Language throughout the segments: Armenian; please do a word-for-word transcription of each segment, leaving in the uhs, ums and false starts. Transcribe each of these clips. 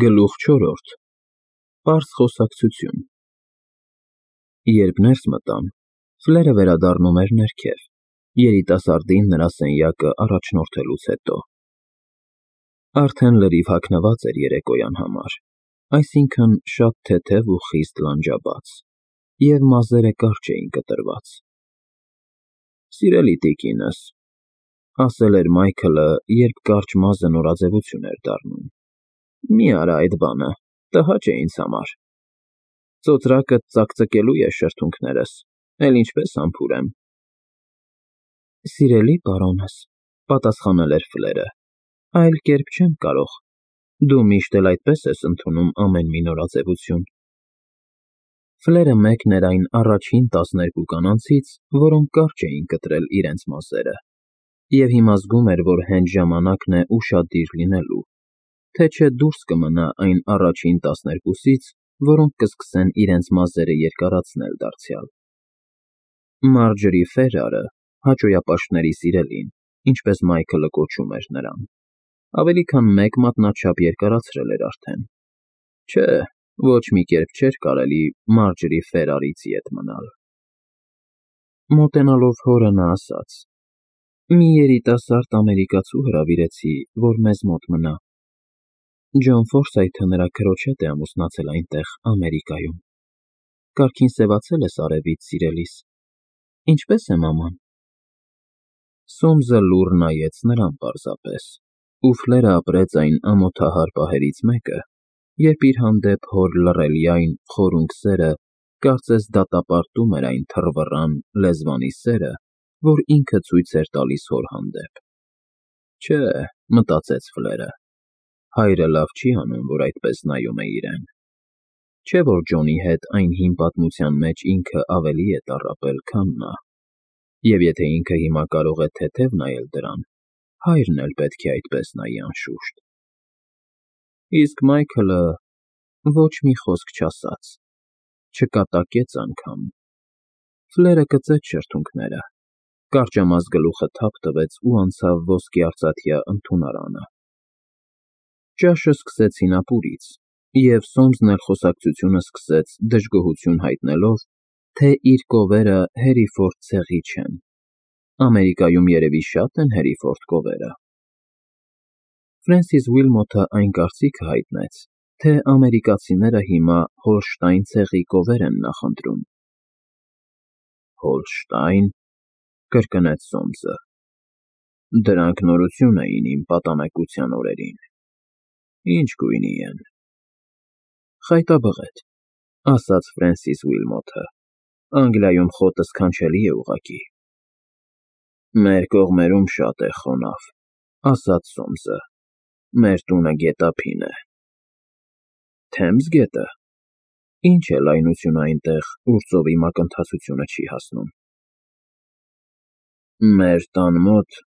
Գլուխ չորրորդ Պարզ խոսակցություն Երբ ներս մտան, Ֆլերը վերադառնում էր ներքև, երիտասարդին նրա սենյակը առաջնորդելուց հետո։ Արդեն լրիվ հագնված էր երեկոյան համար, այսինքն՝ շատ թեթև ու խիստ լանջաբաց, և մազերը կարճ էին կտրված։ «Սիրելի տիկինս,֊ ասել էր Մայքլը, երբ կարճ մազը նորաձևություն էր դառնում,֊ մի արա այդ բանը, տհաճ է ինձ համար։ Ծոծրակդ ծակծկելու է շրթունքներս, էլ ինչպես համբուրեմ»։ «Սիրելի պարոնս,֊ պատասխանել էր Ֆլերը,֊ այլ կերպ չեմ կարող, դու միշտ էլ այդպես ես ընդունում ամեն մի նորաձևություն»։ Ֆլերը մեկն էր այն առաջին տասներկու կանանցից, որոնք կարճ էին կտրել իրենց մազերը, և հիմա զգում էր, որ հենց ժամանակն է ուշադիր լինելու, թե չէ դուրս կմնա այն առաջին տասներկուսից, որոնք կսկսեն իրենց մազերը երկարացնել դարձյալ։ Մարջորի Ֆերարը, հաճոյապաշտների սիրելին, ինչպես Մայքլը կոչում էր նրան, ավելի քան մեկ մատնաչափ երկարացրել էր արդեն։ Չէ, ոչ մի կերպ չէր կարելի Մարջորի Ֆերարից ետ մնալ։ Մոտենալով հորը նա ասաց. «Մի երիտասարդ ամերիկացու հրավիրեցի, որ մեզ մոտ մնա։ Ջոն Ֆորսայթը նրա քրոջ հետ է ամուսնացել այնտեղ, Ամերիկայում։ Կարգին սևացել ես արևից, սիրելիս, ինչպե՞ս է մաման»։ Սոմսը լուռ նայեց նրան պարզապես, ու Ֆլերը ապրեց այն ամոթահար պահերից մեկը, երբ իր հանդեպ հոր լռելյայն, խորունկ սերը կարծես դատապարտում էր այն թռվռան, լեզվանի սերը, որ ինքը ցույց էր տալիս հոր հանդեպ։ Չէ, մտածեց Ֆլերը, հայրը լավ չի անում, որ այդպես նայում է իրեն։ Չէ՞ որ Ջոնի հետ այն հին պատմության մեջ ինքը ավելի է տառապել, քան նա, և եթե ինքը հիմա կարող է թեթև նայել դրան, հայրն էլ պետք է այդպես նայի անշուշտ։ Իսկ Մայքլը ոչ մի խոսք չասաց, չկատակեց անգամ։ Ֆլերը կծեց շրթունքները, կարճամազ գլուխը թափ տվեց ու անցավ ոսկե արծաթյա ընդունարանը։ Ճաշը սկսեցին ապուրից, և Սոմսն էլ խոսակցությունը սկսեց դժգոհություն հայտնելով, թե իր կովերը Հերիֆորդ ցեղի չեն։ Ամերիկայում երևի շատ են Հերիֆորդ կովերը։ Ֆրենսիս Ուիլմոթը այն կարծիքը հայտնեց, թե ամերիկացիները հիմա Հոլշտայն ցեղի կովեր են նախընտրում։ Հոլշտա՞յն,֊ կրկնեց Սոմսը։ Դրանք նորություն էին իմ պատանեկության օրերին։ Ի՞նչ գույնի են։ Խայտաբղետ,֊ ասաց Ֆրենսիս Ուիլմոթը, Անգլիայում խոտը սքանչելի է ուղղակի։ Մեր կողմերում շատ է խոնավ,֊ ասաց Սոմսը, մեր տունը գետափին է։ Թեմզ գետը։ Ի՞նչ է լայնությունը այնտեղ, ուր ծովի մակընթացությունը չի հասնում։ Մեր տան մոտ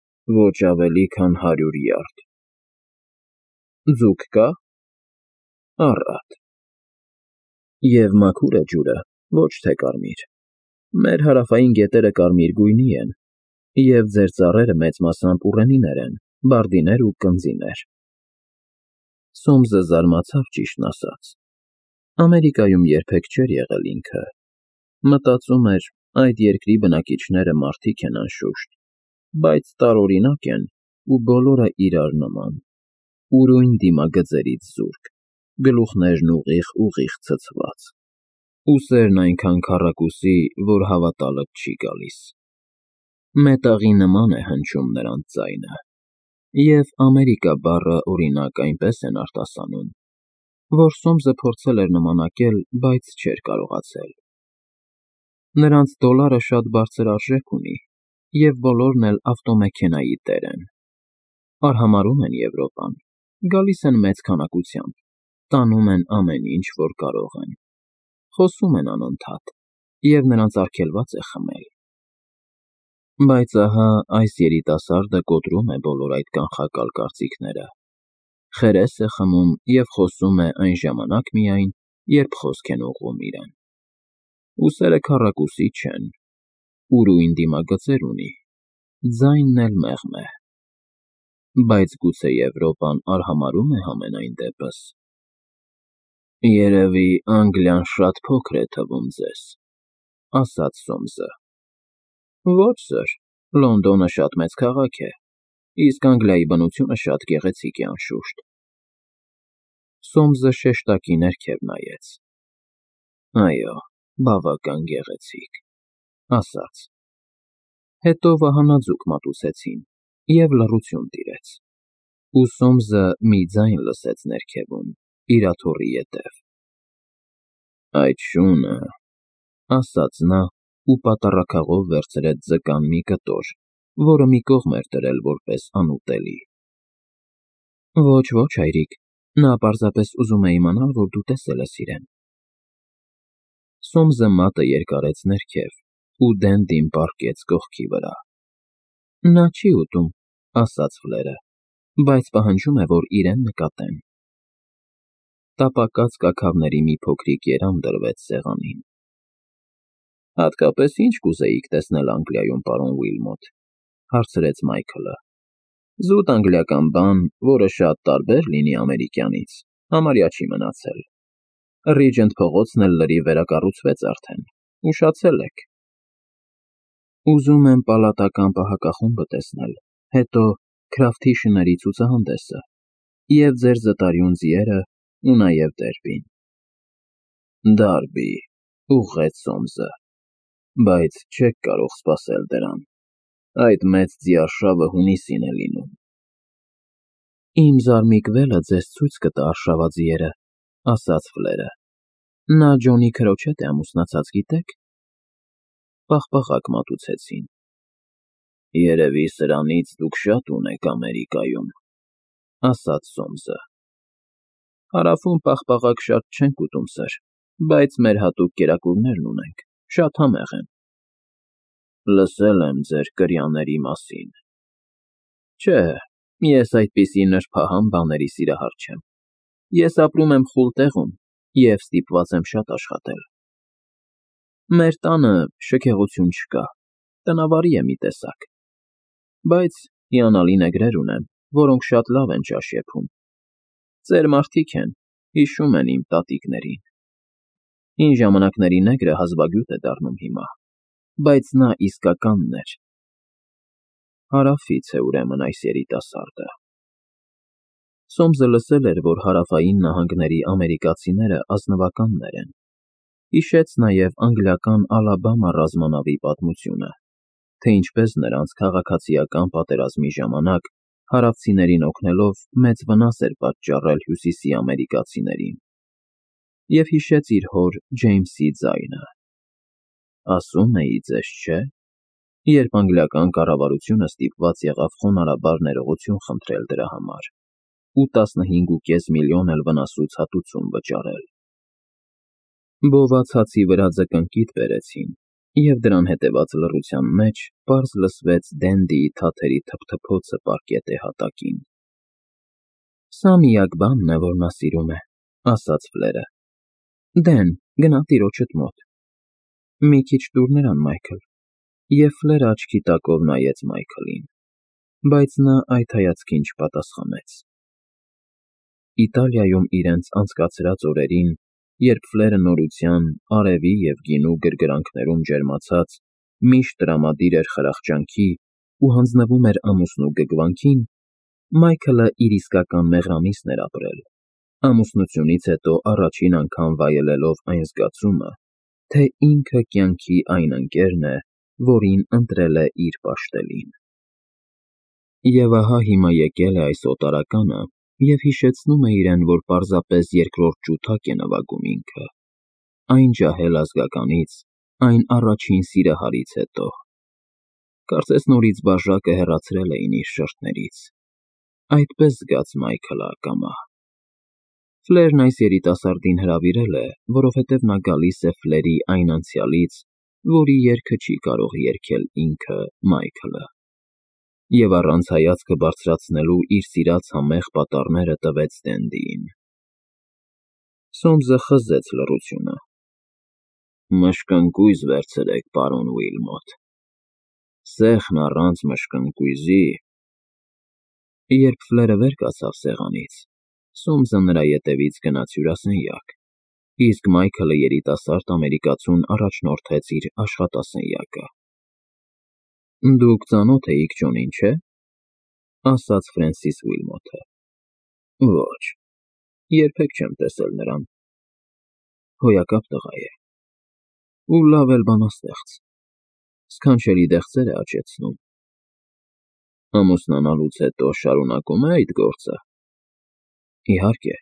ոչ ավելի քան հարյուր յարդ։ Ձուկ կա՞։ Առատ։ Եվ մաքուր է ջուրը, ոչ թե կարմիր։ Մեր հարավային գետերը կարմիր գույնի են, և ձեր ծառերը մեծ մասամբ ուռենիներ են, բարդիներ ու կնձիներ։ Սոմսը զարմացավ, ճիշտն ասած։ Ամերիկայում երբեք չէր եղել ինքը։ Մտածում էր, այդ երկրի բնակիչները մարդիկ են անշուշտ, բայց տարօրինակ են ու բոլորը իրար նման, ուրույն դիմագծերից զուրկ, գլուխներն ուղիղ֊ուղիղ ցցված, ուսերն այնքան քառակուսի, որ հավատալդ չի գալիս։ Մետաղի նման է հնչում նրանց ձայնը, և Ամերիկա բառը, օրինակ, այնպես են արտասանում, որ Սոմսը փորձել էր նմանակել, բայց չէր կարողացել։ Նրանց դոլարը շատ բարձր արժեք ունի, և բոլորն էլ ավտոմեքենայի տեր են։ Արհամարհում են Եվրոպան, գալիս են մեծ քանակությամբ, տանում են ամեն ինչ, որ կարող են, խոսում են անընդհատ, և նրանց արգելված է խմել։ Բայց ահա այս երիտասարդը կոտրում է բոլոր այդ կանխակալ կարծիքները, խերես է խմում և խոսում է այն ժամանակ միայն, երբ խոսք են ուղղում իրեն։ Ուսերը քառակուսի չեն, ուրույն դիմագծեր ունի, ձայնն էլ մեղմ է։ Բայց գուցե Եվրոպան արհամարհում է համենայն դեպս։ Երևի Անգլիան շատ փոքր է թվում ձեզ, ասաց Սոմսը։ Ոչ, սըր, Լոնդոնը շատ մեծ քաղաք է, իսկ Անգլիայի բնությունը շատ գեղեցիկ է, անշուշտ։ Սոմսը շեշտակի ներքև նայեց։ Այո, բավական գեղեցիկ, ասաց։ Հետո վահանաձուկ մատուցեցին, և լռություն տիրեց, ու Սոմսը մի ձայն լսեց ներքևում, իր աթոռի ետև։ Այդ շունը, ասաց նա ու պատառաքաղով վերցրեց ձկան մի կտոր, որը մի կողմ էր դրել որպես անուտելի։ Ոչ, ոչ, հայրիկ, նա պարզապես ուզում է իմանալ, որ դու տեսել ես իրեն։ Սոմսը մատը երկարեց ներքև ու Դենդին պառկեց կողքի վրա։ Նա չի ուտում, ասաց Ֆլերը, բայց պահանջում է, որ իրեն նկատեն։ Տապակած կաքավների մի փոքրիկ երամ դրվեց սեղանին։ Հատկապես ի՞նչ կուզեիք տեսնել Անգլիայում, պարոն Ուիլմոտ, հարցրեց Մայքլը։ Զուտ անգլիական բան, որը շատ տարբեր լինի ամերիկյանից, համարյա չի մնացել։ Ռիջենտ փողոցն էլ լրիվ վերակառուցվեց արդեն, ուշացել եք։ Ուզում եմ պալատական պահակախումբը տեսնել, հետո Քրաֆթի շների ցուցահանդեսը, և ձեր զտարյուն ձիերը, ու նաև դերբին։ Դարբի, ուղղեց Սոմսը, բայց չեք կարող սպասել դրան, այդ մեծ ձիարշավը հունիսին է լինում։ Իմ զարմիկ վելը ձեզ ցույց կտա արշավաձիերը, ասաց Ֆլերը։ Նա Ջոնի քրոջ հետ է ամուսնացած, գիտեք։ Պաղպաղակ մատուցեցին։ Երևի սրանից դուք շատ ունեք Ամերիկայում, ասաց Սոմսը։ Հարավում պաղպաղակ շատ չենք ուտում, սըր, բայց մեր հատուկ կերակուրներն ունենք, շատ համեղ են։ Լսել եմ ձեր կրյաների մասին։ Չէ, ես այդպիսի նրբահամ բաների սիրահար չեմ։ Ես ապրում եմ խուլ տեղում և ստիպված եմ շատ աշխատել։ Մեր տանը շքեղություն չկա, տնավարի է մի տեսակ, բայց հիանալի նեգրեր ունեմ, որոնք շատ լավ են ճաշ եփում։ Ծեր մարդիկ են, հիշում են իմ տատիկներին։ Հին ժամանակների նեգրը հազվագյուտ է դառնում հիմա, բայց նա իսկականն էր։ Հարավից է ուրեմն այս երիտասարդը։ Սոմսը լսել էր, որ հարավային նահանգների ամերիկացիները ազնվականներ են։ Հիշեց նաև անգլիական Ալաբամա ռազմանավի պատմությունը, թե ինչպես նրանց քաղաքացիական պատերազմի ժամանակ հարավցիներին օգնելով մեծ վնաս էր պատճառել հյուսիսի ամերիկացիներին, և հիշեց իր հոր Ջեյմսի ձայնը. ասում էի ձեզ, չէ՞, երբ անգլիական կառավարությունը ստիպված եղավ խոնարհաբար ներողություն խնդրել դրա համար ու տասնհինգ ու կես միլիոն էլ վնասուց հատուցում վճարել։ Բոված հացի վրա ձկնկիթ բերեցին, և դրան հետևած լռության մեջ պարզ լսվեց Դենդիի թաթերի թփթփոցը պարկետե հատակին։ Սա միակ բանն է, որ նա սիրում է, ասաց Ֆլերը։ Դեն, գնա տիրոջդ մոտ։ Մի քիչ տուր նրան, Մայքլ։ Եվ Ֆլերը աչքի տակով նայեց Մայքլին, բայց նա այդ հայացքին չպատասխանեց։ Իտալիայում իրենց անցկացրած օրերին, երբ Ֆլերը նորության, արևի և գինու գրգռանքներում ջերմացած, միշտ տրամադիր էր խրախճանքի ու հանձնվում էր ամուսնու գգվանքին, Մայքլը իր իսկական մեղրամիսն էր ապրել, ամուսնությունից հետո առաջին անգամ վայելելով այն զգացումը, թե ինքը կյանքի այն ընկերն է, որին ընտրել է իր պաշտելին։ Եվ ահա հիմա եկել է այս օտարականը և հիշեցնում է իրեն, որ պարզապես երկրորդ ջութակ է նվագում ինքը, այն ջահել ազգականից, այն առաջին սիրահարից հետո։ Կարծես նորից բաժակը հեռացրել էին իր շրթներից։ Այդպես զգաց Մայքլը ակամա։ Ֆլերն այս երիտասարդին հրավիրել է, որովհետև նա գալիս է Ֆլերի այն անցյալից, որի երգը չի կարող երգել ինքը՝ Մայքլը, և առանց հայացքը բարձրացնելու իր սիրած համեղ պատառները տվեց Դենդիին։ Սոմսը խզեց լռությունը։ Մշկընկույզ վերցրեք, պարոն Ուիլմոտ։ Սեխն առանց մշկընկույզի… Երբ Ֆլերը վեր կացավ սեղանից, Սոմսը նրա ետևից գնաց հյուրասենյակ, իսկ Մայքլը երիտասարդ ամերիկացուն առաջնորդեց իր աշխատասենյակը։ Դուք ծանոթ էիք Ջոնին, չէ՞, ասաց Ֆրենսիս Ուիլմոթը։ Ոչ, երբեք չեմ տեսել նրան։ Հոյակապ տղա է։ Ու լավ էլ բանաստեղծ, սքանչելի դեղձեր է աճեցնում։ Ամուսնանալուց հետո շարունակում է այդ գործը։ Իհարկե։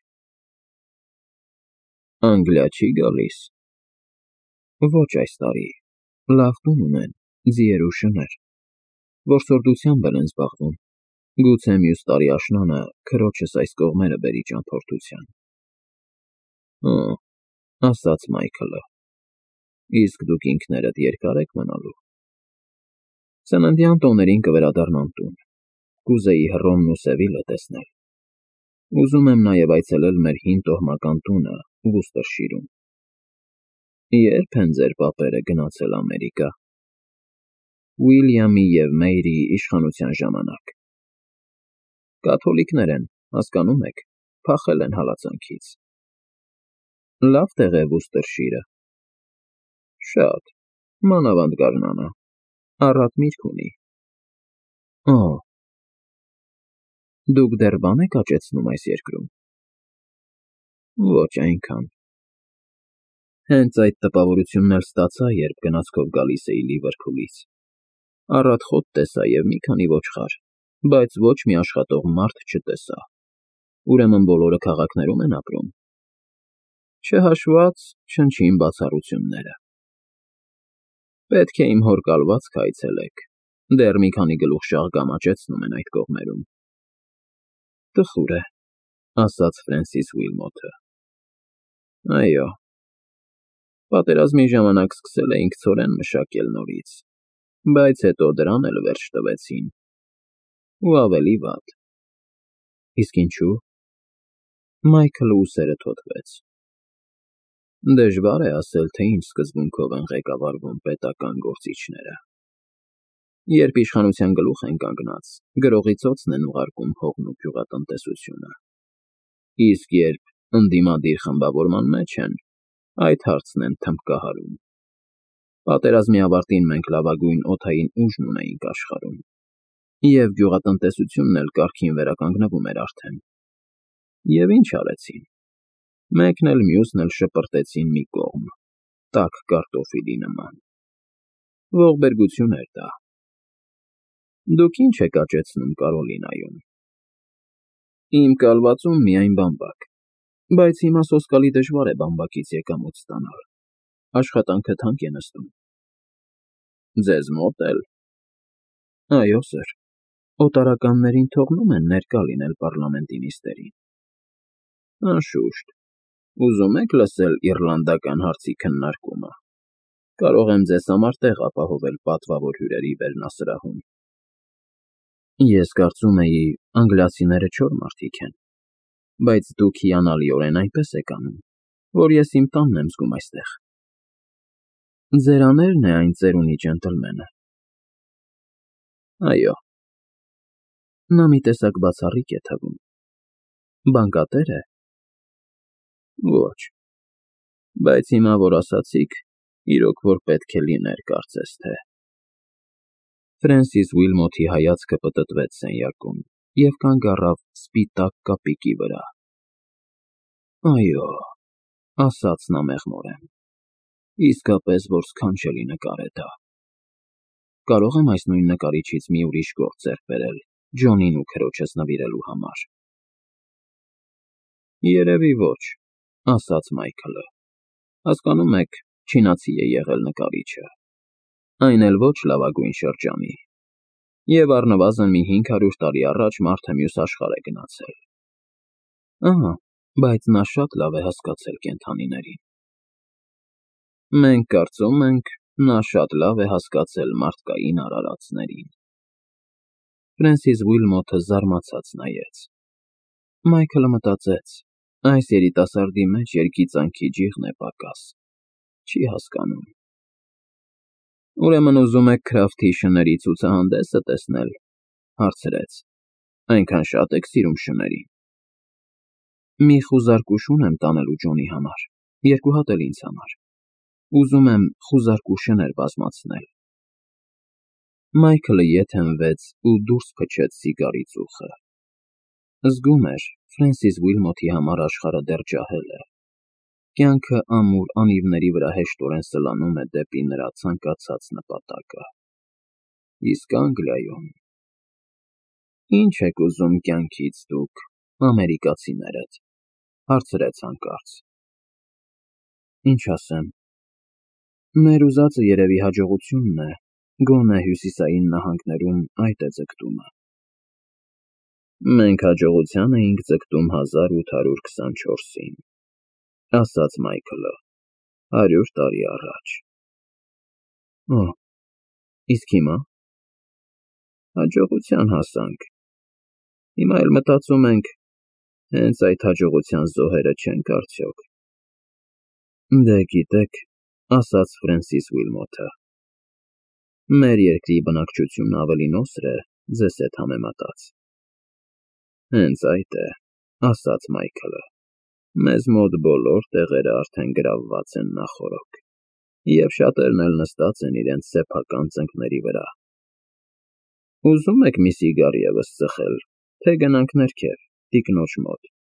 Անգլիա չի գալիս։ Ոչ այս տարի, լավ տուն ունեն, ձիեր ու շներ, որսորդությամբ էլ են զբաղվում, գուցե մյուս տարի աշնանը քրոջս այս կողմերը բերի ճամփորդության։ Հը, ասաց Մայքլը, իսկ դուք ինքներդ երկա՞ր եք մնալու։ Ծննդյան տոներին կվերադառնամ տուն, կուզեի Հռոմն ու Սևիլը տեսնել։ Ուզում եմ նաև այցելել մեր հին տոհմական տունը Վուստրշիրում։ Ե՞րբ են ձեր պապերը գնացել Ամերիկա։ Ուիլյամի և Մեյրիի իշխանության ժամանակ։ Կաթոլիկներ են, հասկանում եք, փախել են հալածանքից։ Լավ տեղ է Վուստրշիրը։ Շատ, մանավանդ գարնանը, առատ միրգ ունի։ Օ, դուք դեռ բան եք աճեցնում այս երկրում։ Ոչ այնքան։ Հենց այդ տպավորությունն էլ ստացա, երբ գնացքով գալիս էի Լիվերփուլից։ Առատ խոտ տեսա և մի քանի ոչխար, բայց ոչ մի աշխատող մարդ չտեսա։ Ուրեմն բոլորը քաղաքներում են ապրում։ Չհաշված չնչին բացառությունները։ Պետք է իմ հոր կալվածքը այցելեք, դեռ մի քանի գլուխ շաղգամ աճեցնում են այդ կողմերում։ Տխուր է, ասաց Ֆրենսիս Ուիլմոթը։ Այո։ Պատերազմի ժամանակ սկսել էինք ցորեն մշակել նորից, բայց հետո դրան էլ վերջ տվեցին։ Ու ավելի վատ։ Իսկ ինչու՞։ Մայքլը ուսերը թոթվեց։ Դժվար է ասել, թե ինչ սկզբունքով են ղեկավարվում պետական գործիչները։ Երբ իշխանության գլուխ են կանգնած, գրողի ծոցն են ուղարկում հողն ու գյուղատնտեսությունը։ Իսկ երբ ընդդիմադիր խմբավորման մեջ են, այդ հարցն են թմբկահարում։ Պատերազմի ավարտին մենք լավագույն օդային ուժն ունեինք աշխարհում, և գյուղատնտեսությունն էլ կարգին վերականգնվում էր արդեն։ Եվ ինչ արեցին։ Մեկն էլ մյուսն էլ շպրտեցին մի կողմ, տաք կարտոֆիլի նման։ Ողբերգություն էր դա։ Դուք ինչ եք աճեցնում Կարոլինայում։ Իմ կալվածում միայն բամբակ, բայց հիմա սոսկալի դժվար է բամբակից եկամուտ ստանալ, աշխատանքը թանկ է նստում։ Ձեզ մոտ էլ։ Այո, սըր, օտարականներին թողնում են ներկա լինել պառլամենտի նիստերին։ Անշուշտ, ուզում եք լսել իռլանդական հարցի քննարկումը, կարող եմ ձեզ համար տեղ ապահովել պատվավոր հյուրերի վերնասրահում։ Ես կարծում էի, անգլիացիները չոր մարդիկ են, բայց դուք հիանալիորեն այնպես եք անում, որ ես իմ տանն եմ զգում այստեղ։ Ձերանե՞րն է այն ծերունի ջենտլմենը։ Այո։ Նա մի տեսակ բացառիկ է թվում։ Բանկատե՞ր է։ Ոչ, բայց հիմա, որ ասացիք, իրոք որ պետք է լիներ, կարծես թե։ Ֆրենսիս Ուիլմոթի հայացքը պտտվեց սենյակում և կանգ առավ սպիտակ կապիկի վրա։ Այո, ասաց նա մեղմորեն, իսկապես որ սքանչելի նկար է դա։ Կարո՞ղ եմ այս նույն նկարիչից մի ուրիշ գործ ձեռք բերել Ջոնին ու քրոջս նվիրելու համար։ Երևի ոչ, ասաց Մայքլը։ Հասկանում եք, չինացի է եղել նկարիչը, այն էլ ոչ լավագույն շրջանի, և առնվազն մի հինգ հարյուր տարի առաջ մարդը մյուս աշխարհ է գնացել։ Ահա, բայց նա շատ լավ է հասկացել կենդանիներին։ Մենք կարծում ենք, նա շատ լավ է հասկացել մարդկային արարածներին։ Ֆրենսիս Ուիլմոթը զարմացած նայեց։ Մայքլը մտածեց, այս երիտասարդի մեջ երգիծանքի ջիղն է պակաս, չի հասկանում։ Ուրեմն ուզում եք Քրաֆթի շների ցուցահանդեսը տեսնել, հարցրեց, այնքան շատ եք սիրում շներին։ Մի խուզարկուշ ունեմ տանելու Ջոնի համար, երկու հատ էլ ինձ համար։ Ուզում եմ խուզարկու շներ բազմացնել։ Մայքլը ետ հենվեց ու դուրս փչեց սիգարի ծուխը։ Զգում էր Ֆրենսիս Ուիլմոթի համար աշխարհը դեռ ջահել է։ Կյանքը ամուր անիվների վրա հեշտորեն սլանում է դեպի նրա ցանկացած նպատակը։ Իսկ Անգլիայում… Ի՞նչ եք ուզում կյանքից դուք, ամերիկացիներդ,֊ հարցրեց հանկարծ։ Ինչ ասեմ… Մեր ուզածը երևի հաջողությունն է, գոնե հյուսիսային նահանգներում այդ է ձգտումը։ Մենք հաջողության էինք ձգտում հազար ութ հարյուր քսանչորսին, ասաց Մայքլը, հարյուր տարի առաջ։ Օ՜, իսկ հիմա… Հաջողության հասանք, հիմա էլ մտածում ենք, հենց այդ հաջողության զոհերը չենք արդյոք։ Դե գիտեք, ասաց Ֆրենսիս Ուիլմոթը, մեր երկրի բնակչությունն ավելի նոսր է ձեզ հետ համեմատած։ Հենց այդ է, ասաց Մայքլը, մեզ մոտ բոլոր տեղերը արդեն գրավված են նախօրոք, և շատերն էլ նստած են իրենց սեփական ծնկների վրա։ Ուզում եք մի սիգար ևս ծխել, թե գնանք ներքև, տիկնոջ մոտ։